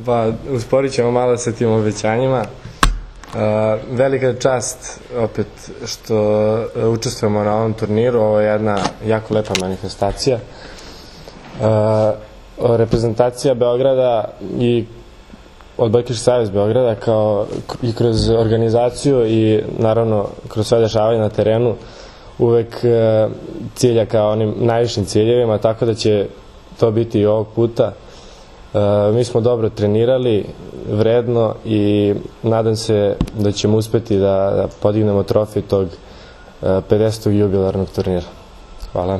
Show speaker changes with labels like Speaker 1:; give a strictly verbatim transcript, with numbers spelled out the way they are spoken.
Speaker 1: Pa, usporit ćemo malo sa tim obećanjima. Velika je čast opet što učestvujemo na ovom turniru, ovo je jedna jako lepa manifestacija. Reprezentacija Beograda i Odbojkaški savez Beograda kao i kroz organizaciju i naravno kroz sve dešavanje na terenu uvek cilja kao onim najvišim ciljevima, tako da će to biti i ovog puta. Mi smo dobro trenirali, vredno i nadam se da ćemo uspeti da podignemo trofej tog pedesetog jubilarnog turnira. Hvala.